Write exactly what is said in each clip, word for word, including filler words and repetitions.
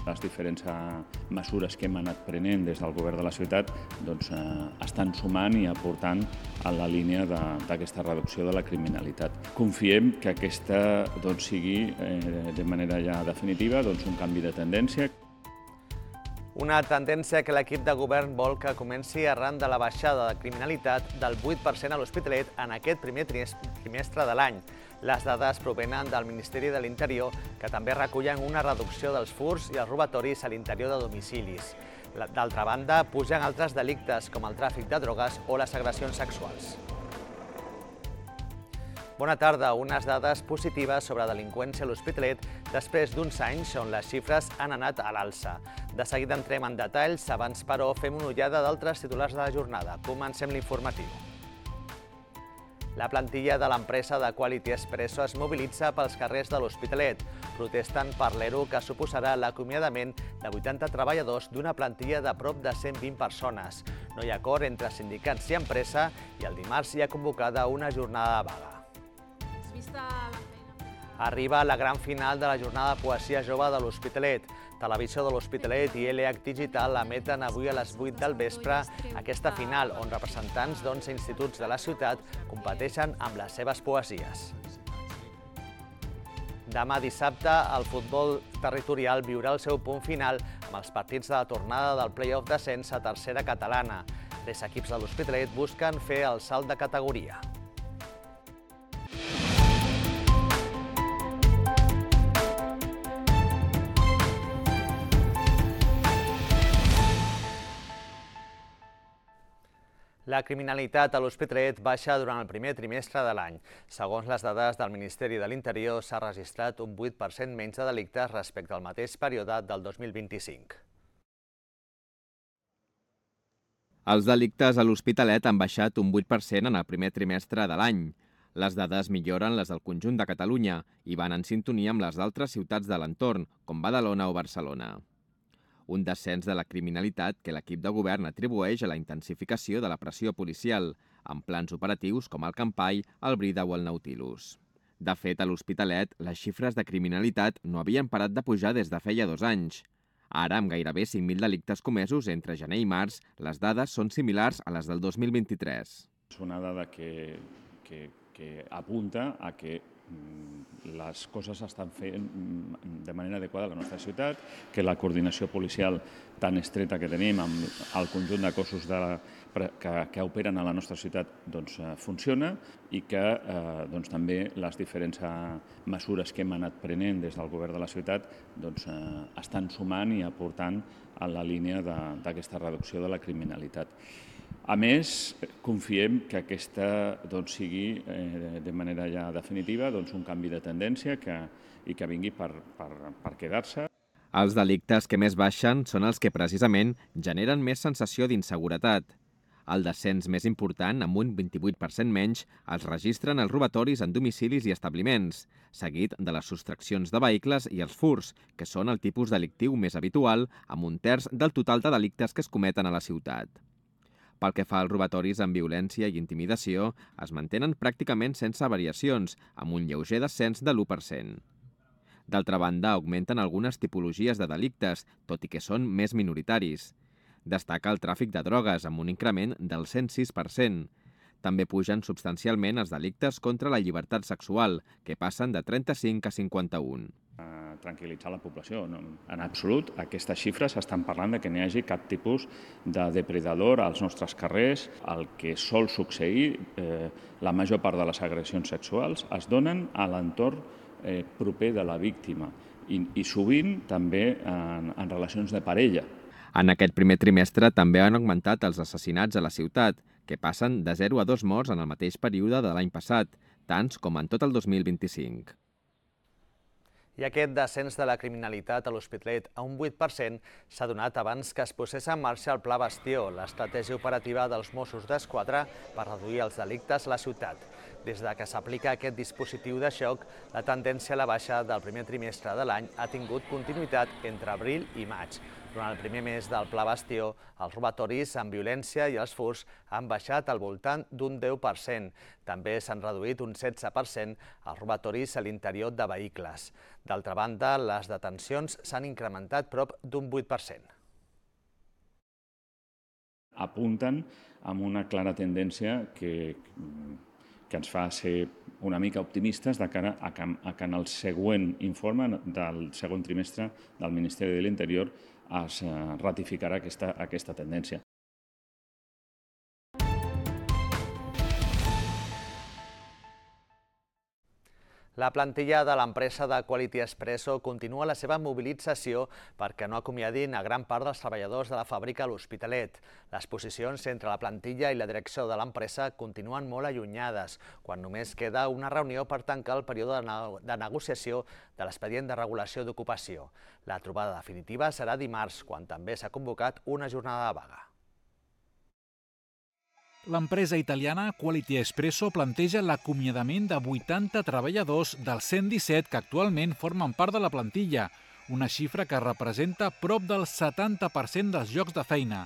Les diferents mesures que hem anat prenent des del govern de la ciutat doncs, eh, estan sumant i aportant a la línia d'aquesta reducció de la criminalitat. Confiem que aquesta doncs, sigui eh, de manera ja definitiva doncs, un canvi de tendència. Una tendència que l'equip de govern vol que comenci arran de la baixada de criminalitat del vuit per cent a l'Hospitalet en aquest primer trimestre de l'any. Les dades provenen del Ministeri de l'Interior, que també recullen una reducció dels furts i els robatoris a l'interior de domicilis. D'altra banda, pugen altres delictes com el tràfic de drogues o les agressions sexuals. Bona tarda. Unes dades positives sobre delinqüència a l'Hospitalet després d'uns anys on les xifres han anat a l'alça. De seguida entrem en detalls, abans però fem una ullada d'altres titulars de la jornada. Comencem l'informatiu. La plantilla de l'empresa de Quality Espresso es mobilitza pels carrers de l'Hospitalet. Protesten per l'E R O que suposarà l'acomiadament de vuitanta treballadors d'una plantilla de prop de cent vint persones. No hi ha acord entre sindicats i empresa i el dimarts hi ha convocada una jornada de vaga. Arriba la gran final de la jornada de poesia jove de l'Hospitalet. Televisió de l'Hospitalet i L H Digital emeten avui a les vuit del vespre aquesta final, on representants d'onze instituts de la ciutat competeixen amb les seves poesies. Demà dissabte, el futbol territorial viurà el seu punt final amb els partits de la tornada del play-off d'ascens a tercera catalana. Tres equips de l'Hospitalet busquen fer el salt de categoria. La criminalitat a l'Hospitalet baixa durant el primer trimestre de l'any. Segons les dades del Ministeri de l'Interior, s'ha registrat un vuit per cent menys de delictes respecte al mateix període del dos mil vint-i-cinc. Els delictes a l'Hospitalet han baixat un vuit per cent en el primer trimestre de l'any. Les dades milloren les del conjunt de Catalunya i van en sintonia amb les d'altres ciutats de l'entorn, com Badalona o Barcelona. Un descens de la criminalitat que l'equip de govern atribueix a la intensificació de la pressió policial, amb plans operatius com el Campai, el Brida o el Nautilus. De fet, a l'Hospitalet, les xifres de criminalitat no havien parat de pujar des de feia dos anys. Ara, amb gairebé cinc mil delictes comesos entre gener i març, les dades són similars a les del dos mil vint-i-tres. És una dada que, que, que apunta a que les coses s'estan fent de manera adequada a la nostra ciutat, que la coordinació policial tan estreta que tenim amb el conjunt de cossos de la, que, que operen a la nostra ciutat doncs, funciona i que eh, doncs, també les diferents mesures que hem anat prenent des del govern de la ciutat doncs, eh, estan sumant i aportant a la línia d'aquesta reducció de la criminalitat. A més, confiem que aquesta doncs, sigui eh, de manera ja definitiva doncs, un canvi de tendència que, i que vingui per, per, per quedar-se. Els delictes que més baixen són els que precisament generen més sensació d'inseguretat. El descens més important, amb un vint-i-vuit per cent menys, els registren els robatoris en domicilis i establiments, seguit de les sostraccions de vehicles i els furts, que són el tipus delictiu més habitual, amb un terç del total de delictes que es cometen a la ciutat. Pel que fa als robatoris amb violència i intimidació, es mantenen pràcticament sense variacions, amb un lleuger descens de l'u per cent. D'altra banda, augmenten algunes tipologies de delictes, tot i que són més minoritaris. Destaca el tràfic de drogues, amb un increment del cent sis per cent. També pugen substancialment els delictes contra la llibertat sexual, que passen de trenta-cinc a cinquanta-un. Tranquil·litzar la població. En absolut, aquestes xifres estan parlant de que no hi hagi cap tipus de depredador als nostres carrers. El que sol succeir, eh, la major part de les agressions sexuals es donen a l'entorn eh, proper de la víctima i, i sovint també en, en relacions de parella. En aquest primer trimestre també han augmentat els assassinats a la ciutat, que passen de zero a dos morts en el mateix període de l'any passat, tants com en tot el dos mil vint-i-cinc. I aquest descens de la criminalitat a l'Hospitalet a un vuit per cent s'ha donat abans que es posés en marxa el Pla Bastió, l'estratègia operativa dels Mossos d'Esquadra per reduir els delictes a la ciutat. Des de que s'aplica aquest dispositiu de xoc, la tendència a la baixa del primer trimestre de l'any ha tingut continuïtat entre abril i maig. Durant el primer mes del Pla Bastió, els robatoris amb violència i els furts han baixat al voltant d'un deu per cent. També s'han reduït un setze per cent els robatoris a l'interior de vehicles. D'altra banda, les detencions s'han incrementat prop d'un vuit per cent. Apunten amb una clara tendència que, que ens fa ser una mica optimistes de cara a que, a que en el següent informe del segon trimestre del Ministeri de l'Interior es ratificarà aquesta, aquesta tendència. La plantilla de l'empresa de Quality Espresso continua la seva mobilització perquè no acomiadin a gran part dels treballadors de la fàbrica a l'Hospitalet. Les posicions entre la plantilla i la direcció de l'empresa continuen molt allunyades, quan només queda una reunió per tancar el període de negociació de l'expedient de regulació d'ocupació. La trobada definitiva serà dimarts, quan també s'ha convocat una jornada de vaga. L'empresa italiana Quality Espresso planteja l'acomiadament de vuitanta treballadors dels cent disset que actualment formen part de la plantilla, una xifra que representa prop del setanta per cent dels llocs de feina.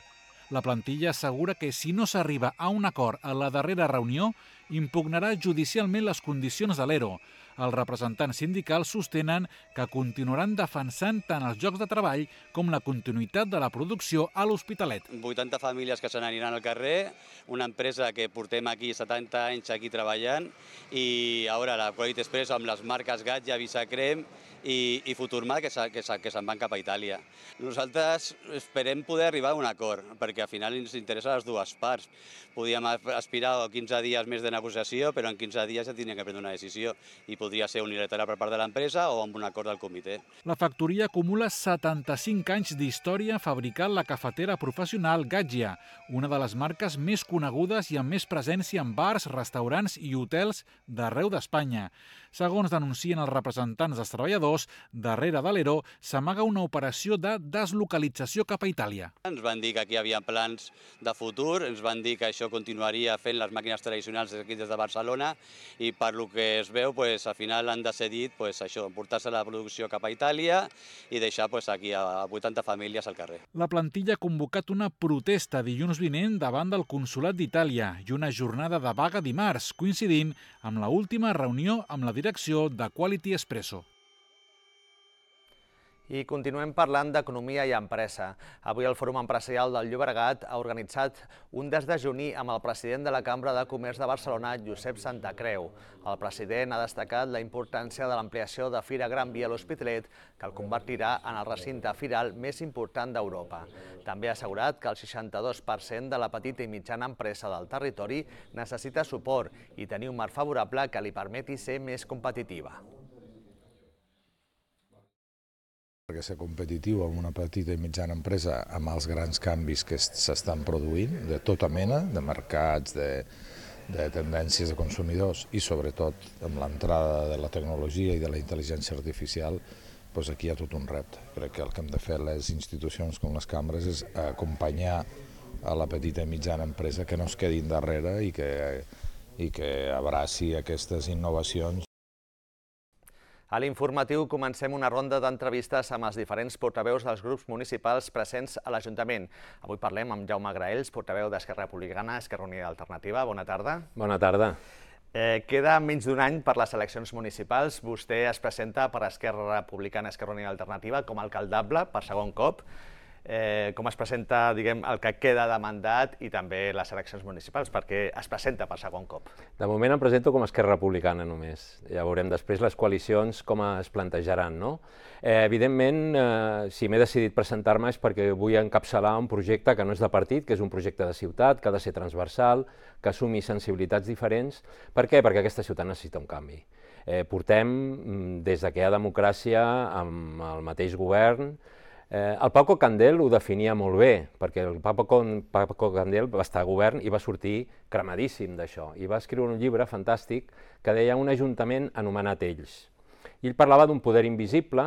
La plantilla assegura que si no s'arriba a un acord a la darrera reunió, impugnarà judicialment les condicions de l'ERO. Els representants sindicals sostenen que continuaran defensant tant els llocs de treball com la continuïtat de la producció a l'Hospitalet. vuitanta famílies que se n'aniran al carrer, una empresa que portem aquí setanta anys aquí treballant i ara la Quality Espresso amb les marques Gatja, Visacrem i, i Futurma que, que, que se'n van cap a Itàlia. Nosaltres esperem poder arribar a un acord perquè al final ens interessa les dues parts. Podíem aspirar a quinze dies més de negociació, però en quinze dies ja tindria que prendre una decisió i podria ser unilateral per part de l'empresa o amb un acord del comitè. La factoria acumula setanta-cinc anys d'història fabricant la cafetera professional Gatja, una de les marques més conegudes i amb més presència en bars, restaurants i hotels d'arreu d'Espanya. Segons denuncien els representants dels treballadors, darrere de l'ERO s'amaga una operació de deslocalització cap a Itàlia. Ens van dir que aquí hi havia plans de futur, ens van dir que això continuaria fent les màquines tradicionals aquí des de Barcelona i per lo que es veu, pues, al final han decidit pues, això, portar-se la producció cap a Itàlia i deixar pues, aquí a vuitanta famílies al carrer. La plantilla ha convocat una protesta dilluns vinent davant del Consolat d'Itàlia i una jornada de vaga dimarts, coincidint amb la última reunió amb la direcció de Quality Espresso. I continuem parlant d'economia i empresa. Avui el Fòrum Empresarial del Llobregat ha organitzat un desdejuni amb el president de la Cambra de Comerç de Barcelona, Josep Santacreu. El president ha destacat la importància de l'ampliació de Fira Gran Via a l'Hospitalet, que el convertirà en el recinte firal més important d'Europa. També ha assegurat que el seixanta-dos per cent de la petita i mitjana empresa del territori necessita suport i tenir un marc favorable que li permeti ser més competitiva. Perquè ser competitiu amb una petita i mitjana empresa amb els grans canvis que s'estan produint, de tota mena, de mercats, de, de tendències de consumidors i sobretot amb l'entrada de la tecnologia i de la intel·ligència artificial, doncs aquí hi ha tot un repte. Crec que el que hem de fer les institucions com les cambres és acompanyar a la petita i mitjana empresa que no es quedin darrere i que, i que abraci aquestes innovacions. A l'informatiu comencem una ronda d'entrevistes amb els diferents portaveus dels grups municipals presents a l'Ajuntament. Avui parlem amb Jaume Graells, portaveu d'Esquerra Republicana, Esquerra Unida Alternativa. Bona tarda. Bona tarda. Eh, queda menys d'un any per les eleccions municipals. Vostè es presenta per Esquerra Republicana, Esquerra Unida Alternativa com a alcaldable per segon cop. Eh, com es presenta, diguem, el que queda de mandat i també les eleccions municipals, perquè es presenta per segon cop? De moment em presento com a Esquerra Republicana només. Ja veurem després les coalicions com es plantejaran, no? Eh, evidentment, eh, si m'he decidit presentar-me és perquè vull encapçalar un projecte que no és de partit, que és un projecte de ciutat, que ha de ser transversal, que assumi sensibilitats diferents. Per què? Perquè aquesta ciutat necessita un canvi. Eh, portem, des que hi ha democràcia, amb el mateix govern. Eh, el Paco Candel ho definia molt bé, perquè el Paco, Paco Candel va estar a govern i va sortir cremadíssim d'això, i va escriure un llibre fantàstic que deia Un ajuntament anomenat Ells. I ell parlava d'un poder invisible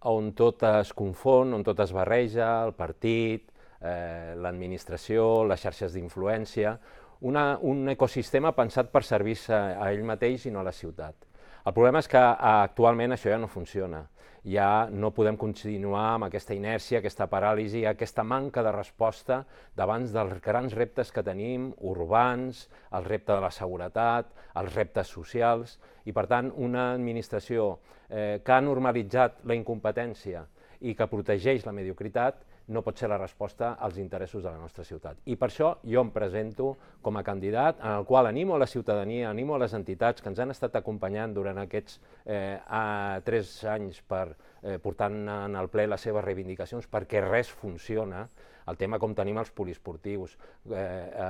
on tot es confon, on tot es barreja, el partit, eh, l'administració, les xarxes d'influència, un ecosistema pensat per servir-se a ell mateix i no a la ciutat. El problema és que actualment això ja no funciona. Ja no podem continuar amb aquesta inèrcia, aquesta paràlisi, aquesta manca de resposta davant dels grans reptes que tenim, urbans, el repte de la seguretat, els reptes socials, i per tant una administració eh, que ha normalitzat la incompetència i que protegeix la mediocritat no pot ser la resposta als interessos de la nostra ciutat. I per això jo em presento com a candidat en el qual animo a la ciutadania, animo a les entitats que ens han estat acompanyant durant aquests eh, a, tres anys per eh, portant en el ple les seves reivindicacions, perquè res funciona. El tema com tenim els poliesportius, eh, eh,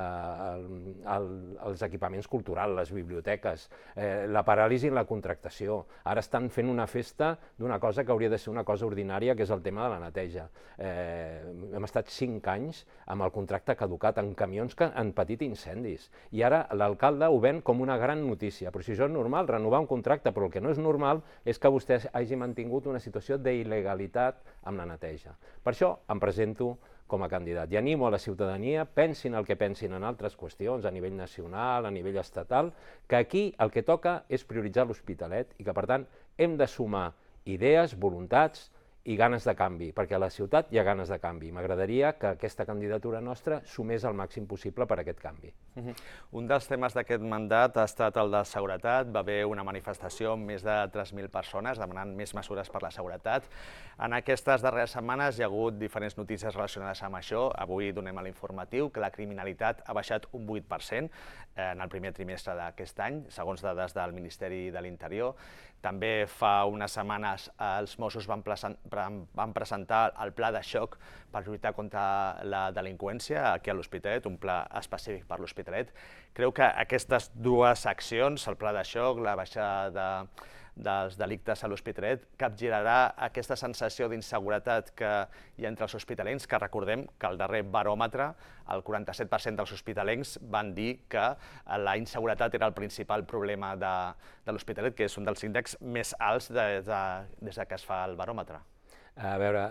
el, el, els equipaments culturals, les biblioteques, eh, la paràlisi en la contractació. Ara estan fent una festa d'una cosa que hauria de ser una cosa ordinària, que és el tema de la neteja. Eh, hem estat cinc anys amb el contracte caducat en camions que han patit incendis. I ara l'alcalde ho ven com una gran notícia. Però si això és normal, renovar un contracte, però el que no és normal és que vostè hagi mantingut una situació d'il·legalitat amb la neteja. Per això em presento com a candidat. I animo a la ciutadania, pensin el que pensin en altres qüestions, a nivell nacional, a nivell estatal, que aquí el que toca és prioritzar l'Hospitalet i que, per tant, hem de sumar idees, voluntats i ganes de canvi, perquè a la ciutat hi ha ganes de canvi. M'agradaria que aquesta candidatura nostra sumés el màxim possible per a aquest canvi. Uh-huh. Un dels temes d'aquest mandat ha estat el de seguretat. Va haver una manifestació amb més de tres mil persones demanant més mesures per la seguretat. En aquestes darreres setmanes hi ha hagut diferents notícies relacionades amb això. Avui donem a l'informatiu que la criminalitat ha baixat un vuit per cent en el primer trimestre d'aquest any, segons dades del Ministeri de l'Interior. També fa unes setmanes els Mossos van, van presentar el pla de xoc per lluitar contra la delinqüència aquí a l'Hospitalet, un pla específic per l'Hospitalet. Creu que aquestes dues accions, el pla de xoc, la baixada de, dels delictes a l'Hospitalet, capgirarà aquesta sensació d'inseguretat que hi ha entre els hospitalencs, que recordem que al darrer baròmetre el quaranta-set per cent dels hospitalencs van dir que la inseguretat era el principal problema de, de l'Hospitalet, que és un dels índexs més alts de, de, des que es fa el baròmetre. A veure,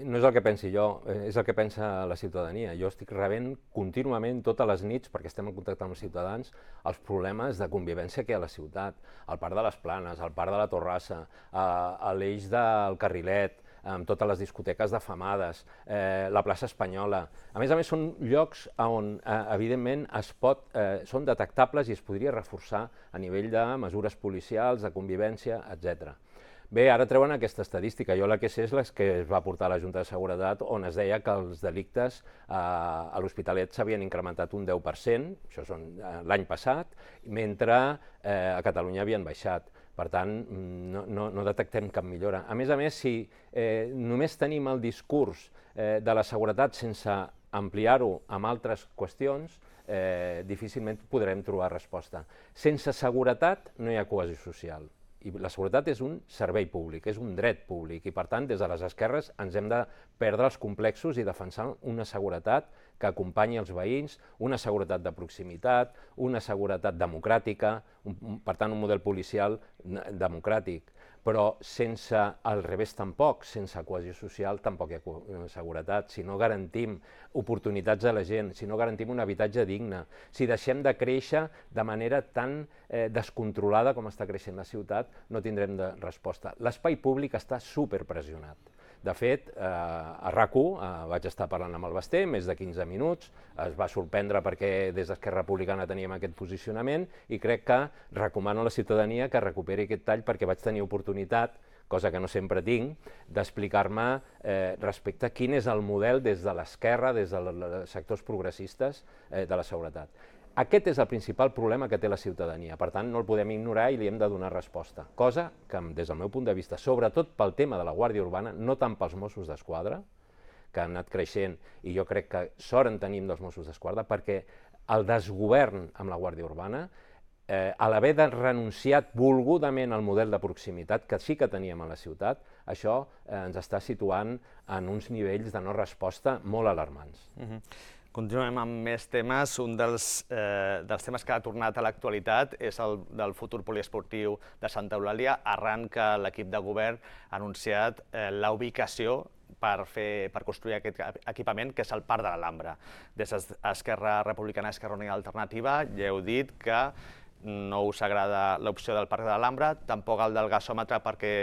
no és el que pensi jo, és el que pensa la ciutadania. Jo estic rebent contínuament, totes les nits, perquè estem en contacte amb els ciutadans, els problemes de convivència que hi ha a la ciutat, al Parc de les Planes, al Parc de la Torrassa, a l'eix del Carrilet, amb totes les discoteques defamades, eh, la plaça Espanyola. A més a més, són llocs on, eh, evidentment, es pot, eh, són detectables i es podria reforçar a nivell de mesures policials, de convivència, etcètera. Bé, ara treuen aquesta estadística. Jo la que sé és la que es va portar a la Junta de Seguretat, on es deia que els delictes eh, a l'Hospitalet s'havien incrementat un deu per cent, això són eh, l'any passat, mentre eh, a Catalunya havien baixat. Per tant, no, no, no detectem cap millora. A més a més, si eh, només tenim el discurs eh, de la seguretat sense ampliar-ho amb altres qüestions, eh, difícilment podrem trobar resposta. Sense seguretat no hi ha cohesió social. I la seguretat és un servei públic, és un dret públic, i per tant, des de les esquerres ens hem de perdre els complexos i defensar una seguretat que acompanyi els veïns, una seguretat de proximitat, una seguretat democràtica, un, per tant, un model policial democràtic. Però sense al revés tampoc, sense cohesió social tampoc hi ha seguretat. Si no garantim oportunitats a la gent, si no garantim un habitatge digne, si deixem de créixer de manera tan eh, descontrolada com està creixent la ciutat, no tindrem de resposta. L'espai públic està superpressionat. De fet, eh, a RAC u eh, vaig estar parlant amb el Basté més de quinze minuts, es va sorprendre perquè des d'Esquerra Republicana teníem aquest posicionament i crec que recomano a la ciutadania que recuperi aquest tall perquè vaig tenir oportunitat, cosa que no sempre tinc, d'explicar-me eh, respecte a quin és el model des de l'esquerra, des dels sectors progressistes eh, de la seguretat. Aquest és el principal problema que té la ciutadania, per tant no el podem ignorar i li hem de donar resposta, cosa que des del meu punt de vista, sobretot pel tema de la Guàrdia Urbana, no tant pels Mossos d'Esquadra, que han anat creixent i jo crec que sort en tenim dels Mossos d'Esquadra, perquè el desgovern amb la Guàrdia Urbana, eh, a l'haver de renunciat volgudament al model de proximitat que sí que teníem a la ciutat, això eh, ens està situant en uns nivells de no resposta molt alarmants. Uh-huh. Continuem amb més temes. Un dels, eh, dels temes que ha tornat a l'actualitat és el del futur poliesportiu de Santa Eulàlia, arran que l'equip de govern ha anunciat eh, la ubicació per, fer, per construir aquest equipament, que és el Parc de l'Alhambra. Des d'Esquerra Republicana, Esquerra Unida i Alternativa, ja heu dit que no us agrada l'opció del Parc de l'Alhambra, tampoc el del gasòmetre perquè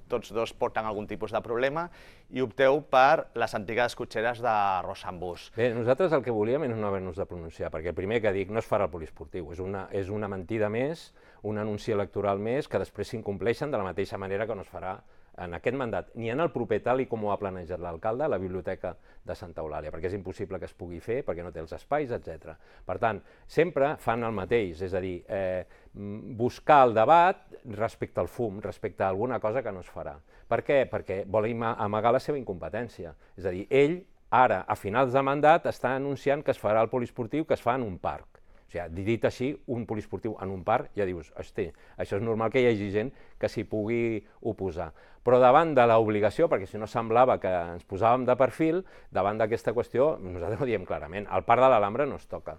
tots dos porten algun tipus de problema, i opteu per les antigues cotxeres de Rossambús. Bé, nosaltres el que volíem és no haver-nos de pronunciar, perquè el primer que dic no es farà el poliesportiu, és una, és una mentida més, un anunci electoral més que després s'incompleixen de la mateixa manera que no es farà en aquest mandat, ni en el proper tal i com ho ha planejat l'alcalde a la Biblioteca de Santa Eulàlia, perquè és impossible que es pugui fer, perquè no té els espais, etcètera. Per tant, sempre fan el mateix, és a dir, eh, buscar el debat respecte al fum, respecte a alguna cosa que no es farà. Per què? Perquè vol amagar la seva incompetència. És a dir, ell, ara, a finals de mandat, està anunciant que es farà el poliesportiu que es fa en un parc. O sigui, dit així, un poliesportiu en un parc, ja dius, hosti, això és normal que hi hagi gent que s'hi pugui oposar. Però davant de l'obligació, perquè si no semblava que ens posàvem de perfil, davant d'aquesta qüestió, nosaltres ho diem clarament, el Parc de l'Alhambra no es toca.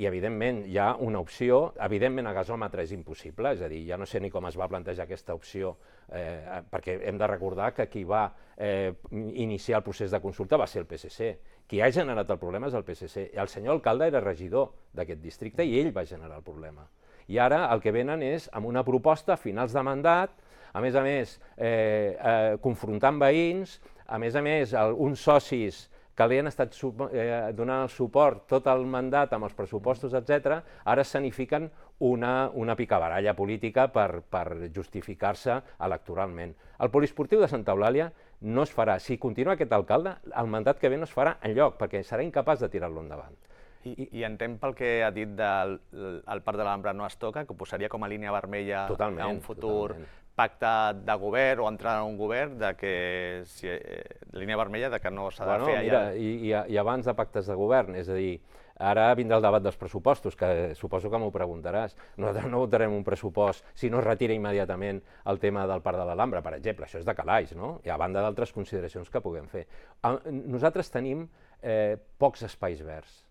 I, evidentment, hi ha una opció, evidentment, a gasòmetre és impossible, és a dir, ja no sé ni com es va plantejar aquesta opció, eh, perquè hem de recordar que qui va eh, iniciar el procés de consulta va ser el P S C. Qui ha generat el problema és el P S C. El senyor alcalde era regidor d'aquest districte i ell va generar el problema. I ara el que venen és amb una proposta a finals de mandat, a més a més, eh, eh, confrontant veïns, a més a més, el, uns socis que li han estat eh, donant el suport tot el mandat amb els pressupostos, etcètera, ara escenifiquen una, una picabaralla política per, per justificar-se electoralment. El poliesportiu de Santa Eulàlia no es farà. Si continua aquest alcalde, el mandat que ve no es farà enlloc, perquè serà incapaç de tirar-lo endavant. I, I entenc pel que ha dit del el Parc de l'Alhambra no es toca, que ho posaria com a línia vermella totalment, a un futur totalment. Pacte de govern o entrar en un govern, de que si, eh, línia vermella de que no s'ha de bueno, fer allà. Mira, i, i abans de pactes de govern, és a dir, ara vindrà el debat dels pressupostos, que suposo que m'ho preguntaràs. Nosaltres no votarem un pressupost si no es retira immediatament el tema del Parc de l'Alhambra, per exemple, això és de calaix, no? I a banda d'altres consideracions que puguem fer. Nosaltres tenim eh, pocs espais verds,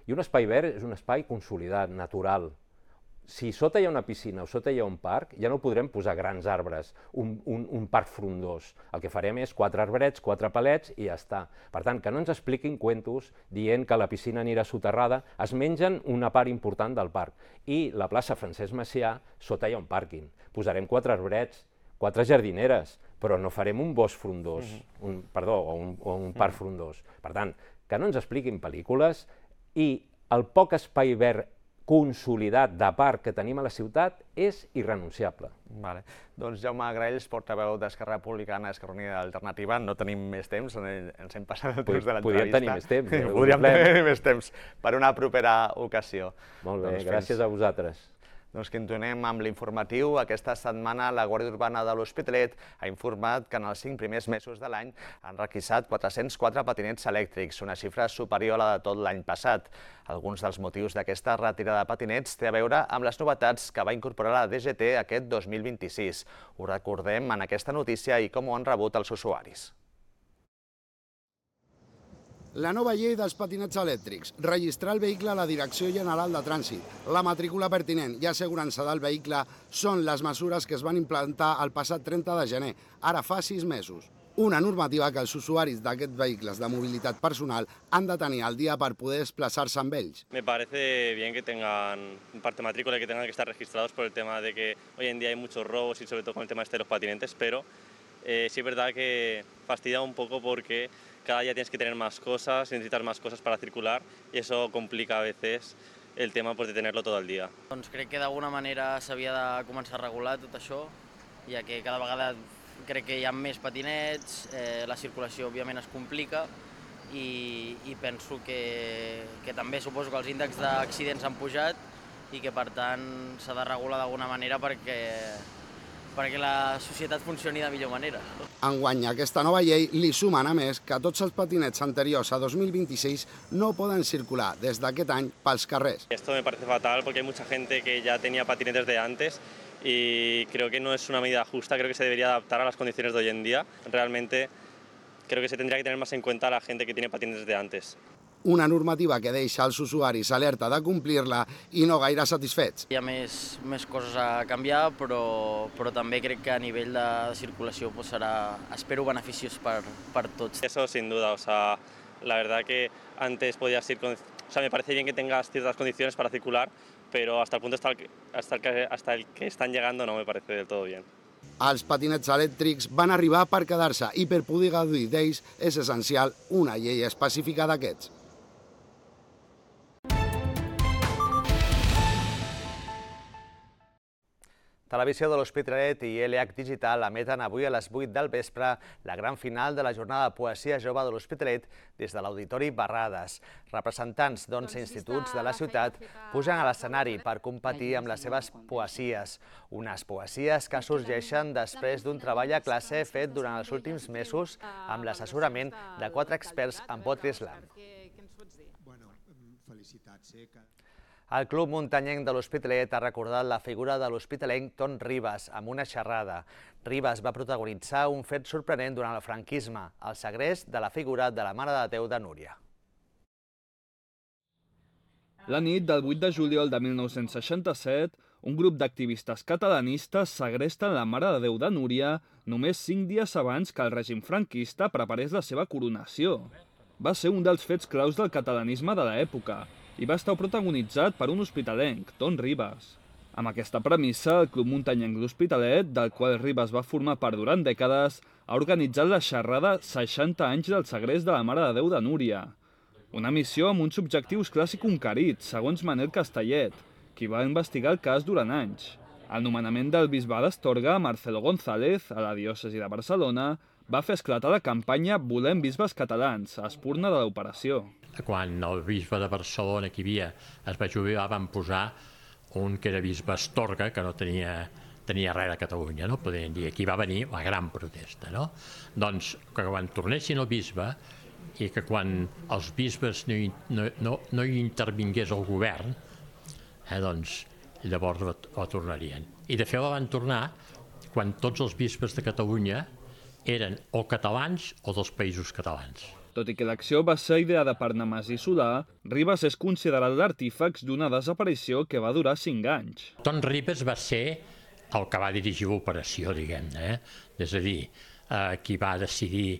i un espai verd és un espai consolidat, natural. Si sota hi ha una piscina o sota hi ha un parc, ja no podrem posar grans arbres, un, un, un parc frondós. El que farem és quatre arbrets, quatre palets i ja està. Per tant, que no ens expliquin cuentos dient que la piscina anirà soterrada, es mengen una part important del parc. I la plaça Francesc Macià, sota hi ha un pàrquing. Posarem quatre arbrets, quatre jardineres, però no farem un bosc frondós, mm-hmm. un, perdó, o un, o un parc mm-hmm. frondós. Per tant, que no ens expliquin pel·lícules i el poc espai verd consolidat de parc que tenim a la ciutat és irrenunciable. Vale. Doncs Jaume Graells, portaveu d'Esquerra Republicana, Esquerra Unida Alternativa, no tenim més temps, ens hem passat el temps de l'entrevista. Podríem tenir més temps. Eh? Podríem tenir més temps per una propera ocasió. Molt bé, doncs gràcies fins... a vosaltres. Doncs continuem amb l'informatiu. Aquesta setmana la Guàrdia Urbana de l'Hospitalet ha informat que en els cinc primers mesos de l'any han requisat quatre-cents quatre patinets elèctrics, una xifra superior a la de tot l'any passat. Alguns dels motius d'aquesta retirada de patinets té a veure amb les novetats que va incorporar la D G T aquest dos mil vint-i-sis. Ho recordem en aquesta notícia i com ho han rebut els usuaris. La nova llei dels patinets elèctrics, registrar el vehicle a la Direcció General de Trànsit, la matrícula pertinent i assegurança del vehicle són les mesures que es van implantar el passat trenta de gener, ara fa sis mesos. Una normativa que els usuaris d'aquests vehicles de mobilitat personal han de tenir al dia per poder desplaçar-se amb ells. Me parece bien que tengan parte matrícula y que tengan que estar registrados por el tema de que hoy en día hay muchos robos y sobre todo con el tema este de los patinetes, pero eh, sí es verdad que fastidia un poco porque cada día tienes que tener más cosas, necesitas más cosas para circular y eso complica a veces el tema pues, de tenerlo todo el dia. Doncs crec que d'alguna manera s'havia de començar a regular tot això, ja que cada vegada crec que hi ha més patinets, eh, la circulació òbviament es complica i, i penso que, que també suposo que els índexs d'accidents han pujat i que per tant s'ha de regular d'alguna manera perquè perquè la societat funcioni de millor manera. Enguany, aquesta nova llei li sumen a més que tots els patinets anteriors a dos mil vint-i-sis no poden circular des d'aquest any pels carrers. Esto me parece fatal porque hay mucha gente que ya tenía patinetes de antes y creo que no es una medida justa, creo que se debería adaptar a las condiciones de hoy en día. Realmente creo que se tendría que tener más en cuenta a la gente que tiene patinetes de antes. Una normativa que deixa els usuaris alerta de complir-la i no gaire satisfets. Hi ha més, més coses a canviar, però, però també crec que a nivell de, de circulació pues, serà, espero, beneficiós per, per tots. Eso sin duda, o sea, la verdad que antes podías ir con... O sea, me parece bien que tengas ciertas condiciones para circular, pero hasta el punto hasta el, que, hasta, el que, hasta el que están llegando no me parece del todo bien. Els patinets elèctrics van arribar per quedar-se i per poder gaudir d'ells és essencial una llei específica d'aquests. Televisió de l'Hospitalet i L H Digital emeten avui a les vuit del vespre la gran final de la jornada de poesia jove de l'Hospitalet des de l'Auditori Barrades. Representants d'onze instituts de la ciutat pugen a l'escenari per competir amb les seves poesies. Unes poesies que sorgeixen després d'un treball a classe fet durant els últims mesos amb l'assessorament de quatre experts en poetry slam. El Club Muntanyenc de l'Hospitalet ha recordat la figura de l'hospitalenc Ton Ribas amb una xerrada. Ribas va protagonitzar un fet sorprenent durant el franquisme, el segrest de la figura de la Mare de Déu de Núria. La nit del vuit de juliol de mil nou-cents seixanta-set, un grup d'activistes catalanistes segresten la Mare de Déu de Núria només cinc dies abans que el règim franquista preparés la seva coronació. Va ser un dels fets claus del catalanisme de l'època i va estar protagonitzat per un hospitalenc, Ton Ribas. Amb aquesta premissa, el Club Muntanyenc l'Hospitalet, del qual Ribas va formar part durant dècades, ha organitzat la xerrada seixanta anys del segrest de la Mare de Déu de Núria. Una missió amb uns objectius clars i conquerits, segons Manel Castellet, qui va investigar el cas durant anys. El nomenament del bisbe d'Astorga, Marcelo González, a la diòcesi de Barcelona, va fer esclatar la campanya Volem bisbes catalans, a espurna de l'operació. Quan el bisbe de Barcelona que hi havia es va jubilar, van posar un que era bisbe Astorga, que no tenia, tenia res a Catalunya, no? Podríem dir, aquí va venir la gran protesta, no? Doncs que quan tornessin el bisbe i que quan els bisbes no hi, no, no, no hi intervingués el govern, eh, doncs llavors la, la tornarien. I de fet la van tornar quan tots els bisbes de Catalunya eren o catalans o dels països catalans. Tot i que l'acció va ser ideada per Nemesi Solà, Ribas és considerat l'artífex d'una desaparició que va durar cinc anys. Ton Ribas va ser el que va dirigir l'operació, diguem-ne, eh? És a dir, eh, qui va decidir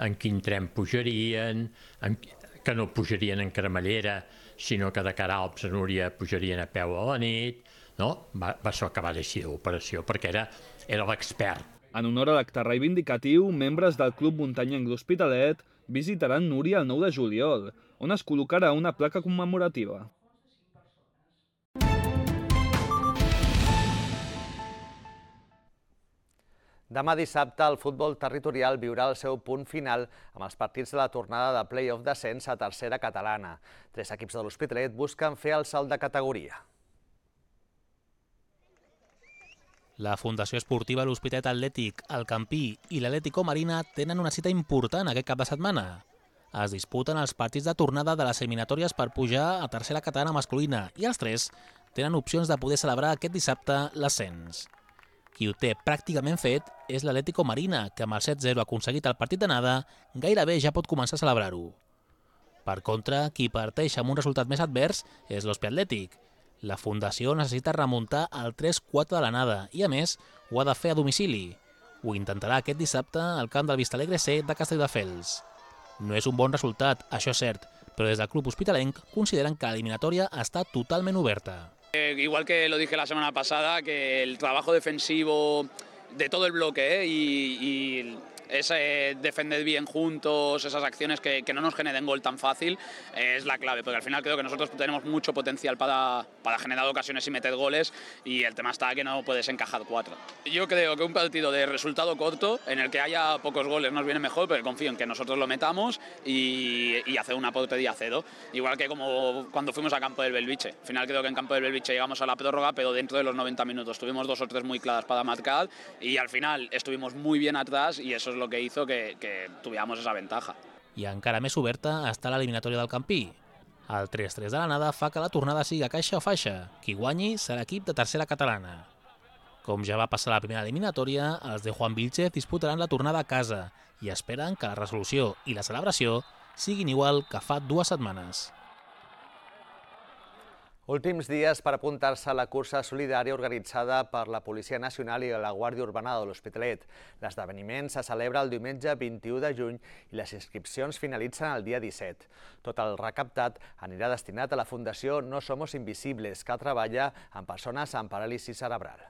en quin tren pujarien, en, que no pujarien en cremallera, sinó que de cara a Alps a Núria pujarien a peu a la nit, no? Va, va ser el que va decidir l'operació, perquè era, era l'expert. En honor a l'acte reivindicatiu, membres del Club Muntanyenc l'Hospitalet visitaran Núria el nou de juliol, on es col·locarà una placa commemorativa. Demà dissabte el futbol territorial viurà el seu punt final amb els partits de la tornada de play-off d'ascens a tercera catalana. Tres equips de l'Hospitalet busquen fer el salt de categoria. La Fundació Esportiva L'Hospitalet Atlètic, el Campí i l'Atlético Marina tenen una cita important aquest cap de setmana. Es disputen els partits de tornada de les eliminatòries per pujar a tercera catalana masculina i els tres tenen opcions de poder celebrar aquest dissabte l'ascens. Qui ho té pràcticament fet és l'Atlético Marina, que amb el set zero aconseguit el partit d'anada gairebé ja pot començar a celebrar-ho. Per contra, qui parteix amb un resultat més advers és l'Hospitalet Atlètic. La Fundació necessita remuntar el tres quatre de l'anada i, a més, ho ha de fer a domicili. Ho intentarà aquest dissabte al camp del Vistalegre C de Castelldefels. No és un bon resultat, això és cert, però des del club hospitalenc consideren que l'eliminatòria està totalment oberta. Eh, igual que lo dije la semana pasada, que el trabajo defensivo de todo el bloque eh, y, y ese defender bien juntos, esas acciones que, que no nos generen gol tan fácil, eh, es la clave, porque al final creo que nosotros tenemos mucho potencial para, para generar ocasiones y meter goles, y el tema está que no puedes encajar cuatro. Yo creo que un partido de resultado corto, en el que haya pocos goles, nos viene mejor, pero confío en que nosotros lo metamos y, y hacer una portería a cero. Igual que como cuando fuimos a Campo del Belviche. Al final creo que en Campo del Belviche llegamos a la prórroga, pero dentro de los noventa minutos tuvimos dos o tres muy claras para marcar, y al final estuvimos muy bien atrás, y eso es lo que hizo que, que tuviéramos esa ventaja. I encara més oberta està l'eliminatòria del Campí. El tres tres de l'anada fa que la tornada sigui a caixa o faixa. Qui guanyi serà equip de tercera catalana. Com ja va passar la primera eliminatòria, els de Juan Vilchez disputaran la tornada a casa i esperen que la resolució i la celebració siguin igual que fa dues setmanes. Últims dies per apuntar-se a la cursa solidària organitzada per la Policia Nacional i la Guàrdia Urbana de l'Hospitalet. L'esdeveniment se celebra el diumenge vint-i-u de juny i les inscripcions finalitzen el dia disset. Tot el recaptat anirà destinat a la Fundació No Somos Invisibles, que treballa amb persones amb paràlisi cerebral.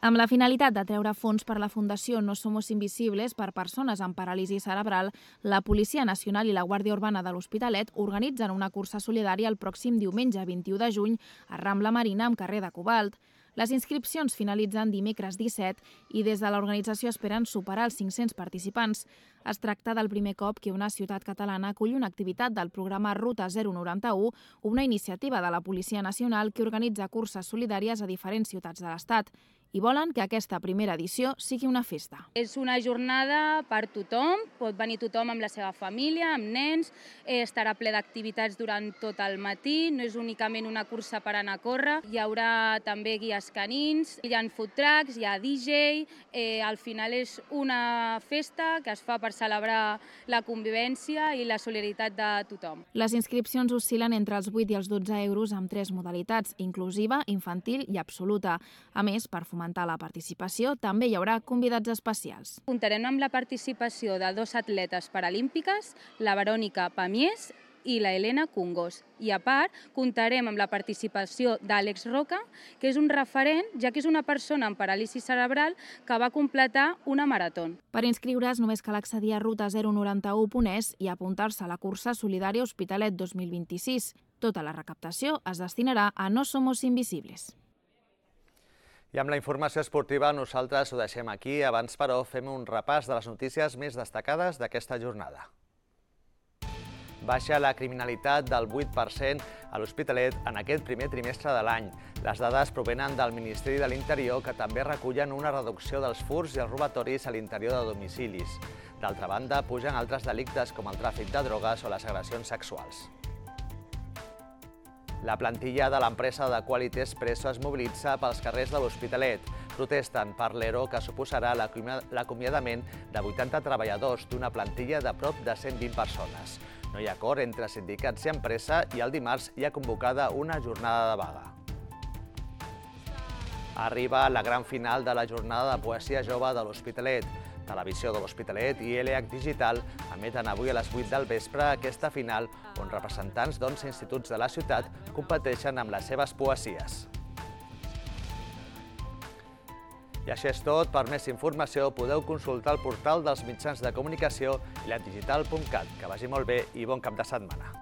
Amb la finalitat de treure fons per la Fundació No Somos Invisibles per persones amb paràlisi cerebral, la Policia Nacional i la Guàrdia Urbana de l'Hospitalet organitzen una cursa solidària el pròxim diumenge vint-i-u de juny a Rambla Marina amb carrer de Cobalt. Les inscripcions finalitzen dimecres disset i des de l'organització esperen superar els cinc-cents participants. Es tracta del primer cop que una ciutat catalana acull una activitat del programa Ruta zero noranta-u, una iniciativa de la Policia Nacional que organitza curses solidàries a diferents ciutats de l'Estat. I volen que aquesta primera edició sigui una festa. És una jornada per tothom, pot venir tothom amb la seva família, amb nens, estarà ple d'activitats durant tot el matí, no és únicament una cursa per anar a córrer, hi haurà també guies canins, hi ha food trucks, hi ha D J, eh, al final és una festa que es fa per celebrar la convivència i la solidaritat de tothom. Les inscripcions oscil·len entre els vuit i els dotze euros amb tres modalitats, inclusiva, infantil i absoluta. A més, per fomentar la participació, també hi haurà convidats especials. Comptarem amb la participació de dos atletes paralímpiques, la Verònica Pamies i la Helena Cungos. I a part, comptarem amb la participació d'Àlex Roca, que és un referent, ja que és una persona amb paràlisi cerebral que va completar una marató. Per inscriure's només cal accedir a ruta zero noranta-u punt es i apuntar-se a la cursa solidària Hospitalet dos mil vint-i-sis. Tota la recaptació es destinarà a No Somos Invisibles. I amb la informació esportiva nosaltres ho deixem aquí. Abans, però, fem un repàs de les notícies més destacades d'aquesta jornada. Baixa la criminalitat del vuit per cent a l'Hospitalet en aquest primer trimestre de l'any. Les dades provenen del Ministeri de l'Interior, que també recullen una reducció dels furts i els robatoris a l'interior de domicilis. D'altra banda, pugen altres delictes com el tràfic de drogues o les agressions sexuals. La plantilla de l'empresa de Quality Espresso es mobilitza pels carrers de l'Hospitalet. Protesten per l'E R O que suposarà l'acomiadament de vuitanta treballadors d'una plantilla de prop de cent vint persones. No hi ha acord entre sindicats i empresa i el dimarts hi ha convocada una jornada de vaga. Arriba la gran final de la jornada de poesia jove de l'Hospitalet. Televisió de l'Hospitalet i L H Digital emeten avui a les vuit del vespre aquesta final on representants d'onze instituts de la ciutat competeixen amb les seves poesies. I això és tot. Per més informació podeu consultar el portal dels mitjans de comunicació i la digital punt cat. Que vagi molt bé i bon cap de setmana.